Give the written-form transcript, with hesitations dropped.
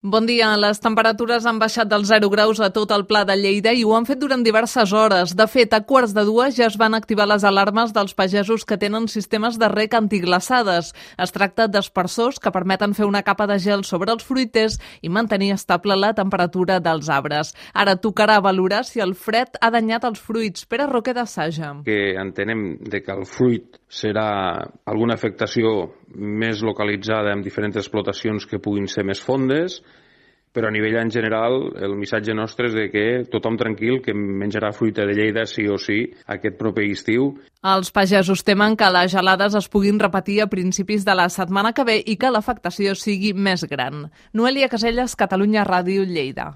Bon dia. Les temperatures han baixat dels 0 graus a tot el Pla de Lleida i ho han fet durant diverses hores. De fet, a 1:15 ja es van activar les alarmes dels pagesos que tenen sistemes de reg antiglaçades. Es tracta d'aspersors que permeten fer una capa de gel sobre els fruiters i mantenir estable la temperatura dels arbres. Ara tocarà valorar si el fred ha danyat els fruits. Pere Roquer de Saja. Que entenem que el fruit serà alguna afectació més localitzada en diferents explotacions que puguin ser més fondes, però a nivell en general el missatge nostre és de que tothom tranquil, que menjarà fruita de Lleida sí o sí aquest proper estiu. Els pagesos temen que les gelades es puguin repetir a principis de la setmana que ve i que l'afectació sigui més gran. Noelia Caselles, Catalunya Ràdio, Lleida.